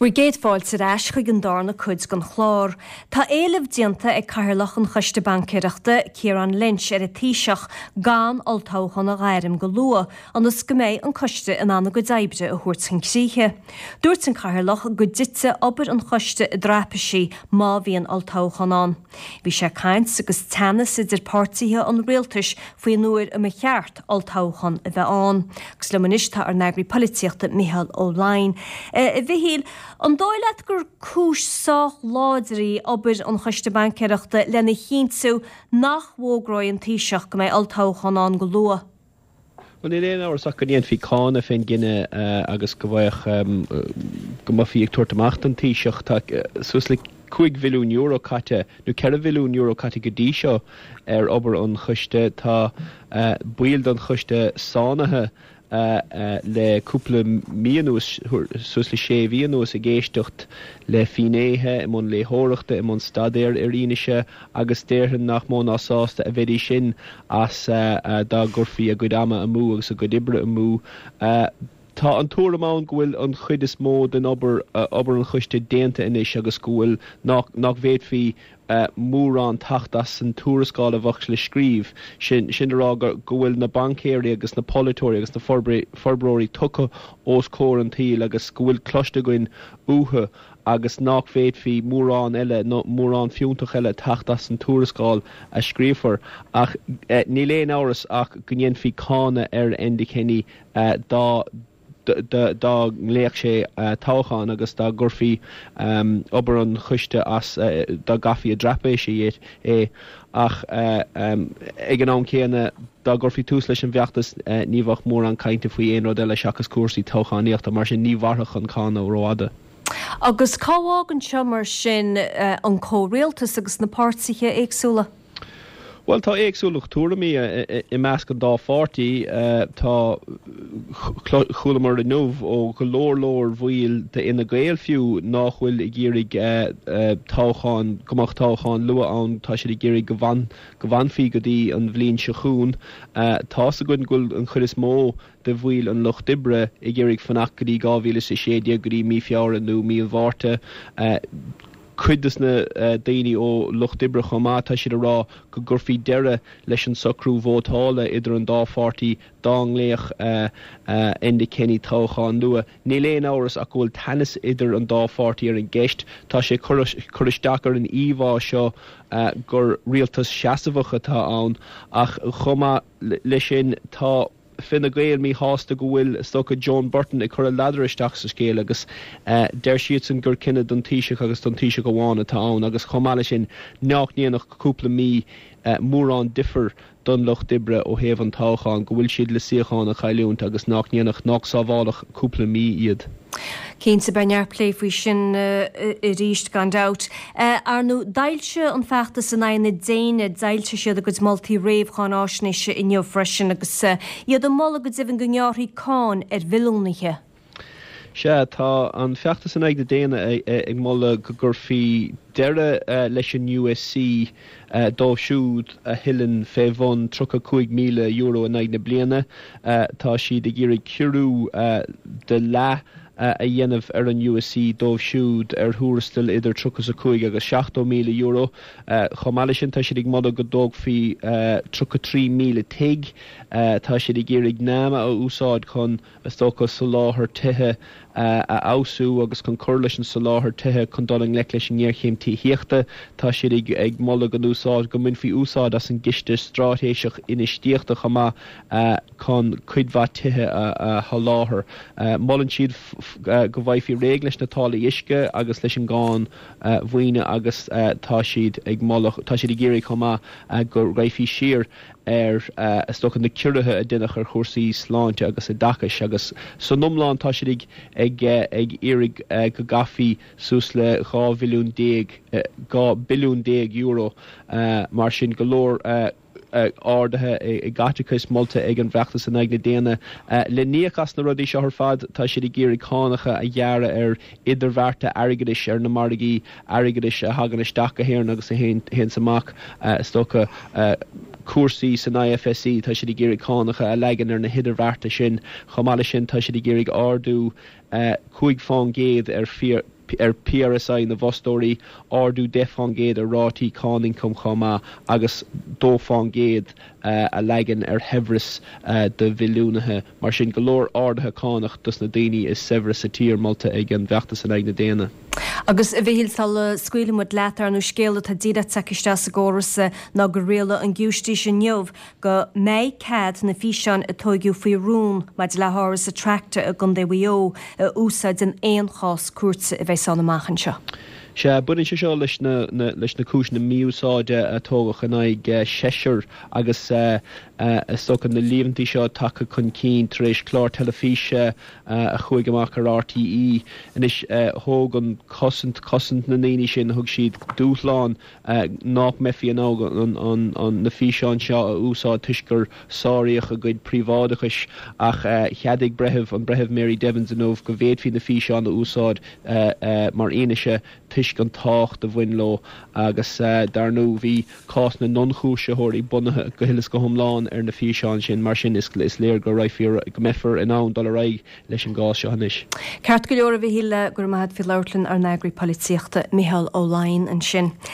Bhur gcéad fáilte ar ais chuig an darna cuid den chlár. Tá éileamh déanta ag Cathaoirleach an Choiste Baincéireachta, Ciarán Lynch, ar an Taoiseach gan olltoghchán a ghairm go luath, ionas go mbeidh an coiste in ann a gcuid oibre a thabhairt chun críche. Dúirt an Cathaoirleach go dtitfeadh obair an choiste i dtraipisí má bhíonn olltoghchán ann. Bhí sé ag caint agus teannas idir páirtithe an rialtais faoin uair a mba cheart olltoghchán a bheith ann. Agus liom anois tá ár n-eagraí polaitíochta Micheál Ó Laighin. A Mhichíl, an dóigh leat gur cúis sách láidir í obair an Choiste Baincéireachta lena chinntiú nach bhfógróidh an Taoiseach go mbeidh olltoghchán ann go luath? Bhuel, níl aon amhras ach go ndéanfaí cáineadh fén gcinneadh agus go bhfaigheadh, go mbeifí ag tabhairt amach don Taoiseach. Tá suas le €5 bhilliún caite, nó €4 bhilliún caite go dtí seo ar obair an choiste. Tá baill den choiste sáinnithe le cúpla mí anuas, suas le sé mhí anuas, ag éisteacht le finnéithe, i mbun léitheoireachta, i mbun staidéir ar fhianaise agus déarfainn nach mó ná sásta a bheidís sin as dá gcuirfí a gcuid ama amú agus a gcuid oibre amú. Tá an tuairim ann go bhfuil an chuid is mó den obair, obair an choiste, déanta anois agus go bhfuil, nach, nach bhféadfaí mórán teacht as an tuarascáil a bheadh le scríobh. Sin, sin le rá go, go bhfuil na baincéirí agus na polaiteoirí agus na forbróirí tugtha os comhair an tsaoil agus go bhfuil cloiste againn uathu agus nach bhféadfaí mórán eile, nó mórán fiúntach eile teacht as an tuarascáil a scríofar. Ach níl aon amhras ach go ndéanfaí cáineadh ar Enda Kenny dá dá nglaofadh sé toghchán agus dá gcuirfí obair an choiste as, dá gcaithfí i dtraipisí é. Ach ag an am céanna, dá gcuirfí tús leis an bhfeachtas ní bheadh mórán cainte faoi aon rud eile seachas cúrsaí toghchánaíochta, mar sin ní mhairfeadh an cáineadh rófhada. Agus cá bhfágann seo mar sin an comhrialtas agus na páirtithe éagsúla? Bhuel, tá éagsúlacht tuairimí i measc an dá pháirtí. Tá, chualamar inniu ó go leor leor bhaill d'Fhine Gael fiú nách bhfuil ag iarraidh toghchán, go mbeadh toghchán luath ann, tá siad ag iarraidh go go bhfanfaí go dtí an bhliain seo chugainn. Tá's againn go bhfuil an chuid is mó de bhaill an Lucht Oibre ag iarraidh fanacht go dtí 2016, go dtí mí Feabhra nó mí an Mhárta. Cuid des na daoine ó Lucht Oibre chomh maith, tá siad ag rá go gcuirfí deireadh leis an socrú vótála idir an dá pháirtí dá nglaofadh Enda Kenny toghchán luath. Níl aon amhras ach go bhfuil teannas idir an dá pháirtí ar an gceist. Tá sé ag cur isteach ar an íomhá seo gur rialtas seasmhach atá ann ach chomh maith leis sin tá Fine Gael míshásta go bhfuil, is dócha, Joan Burton ag cur a ladar isteach sa scéal agus deir siadsan gur cinneadh don Taoiseach agus don Taoiseach amháin atá ann agus chomh maith leis sin nach ndéanfadh cúpla mí mórán difir don Lucht Oibre ó thaobh an toghcháin, go bhfuil siad le suíochán a chailliúint agus nach ndéanfadh, nach sábhálfadh cúpla mí iad. Cinnte, beidh neart plé faoi sin arís, gan dabht. Ar ndóigh, d'fhoilsigh an feachtas in aghaidh na déine, d'fhoilsigh siad a gcuid moltaí réamh-cháináisnéise inniu freisin agus iad ag moladh go deimhin go ngearrfaí cáin ar bhilliúnaithe. Sea, tá an feachtas in aghaidh na déine ag moladh go gcuirfí deireadh leis an USC dóibh siúd a thuilleann fé bhun €35,000 in aghaidh na bliana. Tá siad ag iarraidh ciorrú de leath a dhéanamh ar an USC dóibh siúd ar thuarastal idir 35 agus €70,000. Chomh maith leis sin, tá siad ag moladh go dtógfaí 33,000 tigh. Tá siad ag iarraidh NAMA a úsáid chun is dócha, soláthar tithe a fheabhsú agus chun cur leis an soláthar tithe chun dul i ngleic leis an ngéarchéim tithíochta. Tá siad ag moladh go n-úsáid, go mbainfí úsáid as an gCiste Straitéiseach Infheistíochta chomh maith chun cuid mhaith tithe a sholáthar. Molann siad go bhfaighfí réidh leis na táillí uisce agus leis an gcáin mhaoine agus tá siad ag moladh, tá siad ag iarraidh chomh maith go raghfaí siar ar, is dócha, na ciorruithe a deineadh ar chúrsaí sláinte agus oideachais agus san iomlán tá siad ag ag ag iarraidh go gcaithfí suas le 12 bhilliún, 12 billiún euro mar sin go leor arduithe i gcaiteachas molta ag an bhfeachtas in aghaidh na déine. Le n-íoc as na rudaí seo ar fad tá siad ag iarraidh cánacha a ghearradh ar idirbhearta airgeadais ar na margaí airgeadais a thagann isteach go hÉirinn agus a théanns amach, is dócha. Cúrsaí san IFSC, tá siad ag iarraidh cánacha a leagan ar na hidirbhearta sin. Chomh maith leis sin, tá siad ag iarraidh ardú 5 fán gcéad ar ar PRSI na bhfostóirí, ardú 10 fán gcéad ar rátaí cáin ioncaim chomh maith agus 2 fán gcéad a leagan ar shaibhreas do mhilliúnaithe. Mar sin, go leor arduithe cánach dos na daoine is saibhre sa tír molta ag an bhfeachtas in aghaidh na déine. Agus, a Mhichíl, sula scaoilfidh muid leat, ar ndóigh, scéal atá díreach tagtha isteach sa gcóras ná gur rialaigh an giúistís inniu go mbeidh cead na físeáin a tóigeadh faoi rún maidir le hÁras Attracta i gContae Mhaigh Eo a úsáid in aon chás cúirte a bheas ann amach anseo. Sea, baineann sé seo leis na leis na cúiseanna mí-úsáide a tógadh in aghaidh seisear agus is dócha na líomhaintí seo tagtha chun cinn tar éis clár teilifíse a chuaigh amach ar RTÉ. Anois, thóg an chosaint, cosaint na ndaoine sin, thug siad dúshlán nách mbeifí in ann na físeáin seo a úsáid toisc gur sáraíodh a gcuid príobháideachais ach cheadaigh breitheamh, an Breitheamh Mary Devins inniu go bhféadfaí na físeáin a úsáid mar fhianaise toisc an tábhacht a bhain leo agus dar ndóigh bhí cás na n-ionchúisitheoirí bunaithe go huile is go hiomlán ar na físeáin sin. Mar sin is léir go raghfar, go mbeifear in ann dul ar aghaidh leis an gcás seo anois. Ceart go leor a Mhichíl, go raibh maith agat faoi labhairt linn, ár n-eagraí polaitíochta, Micheál Ó Laighin ansin.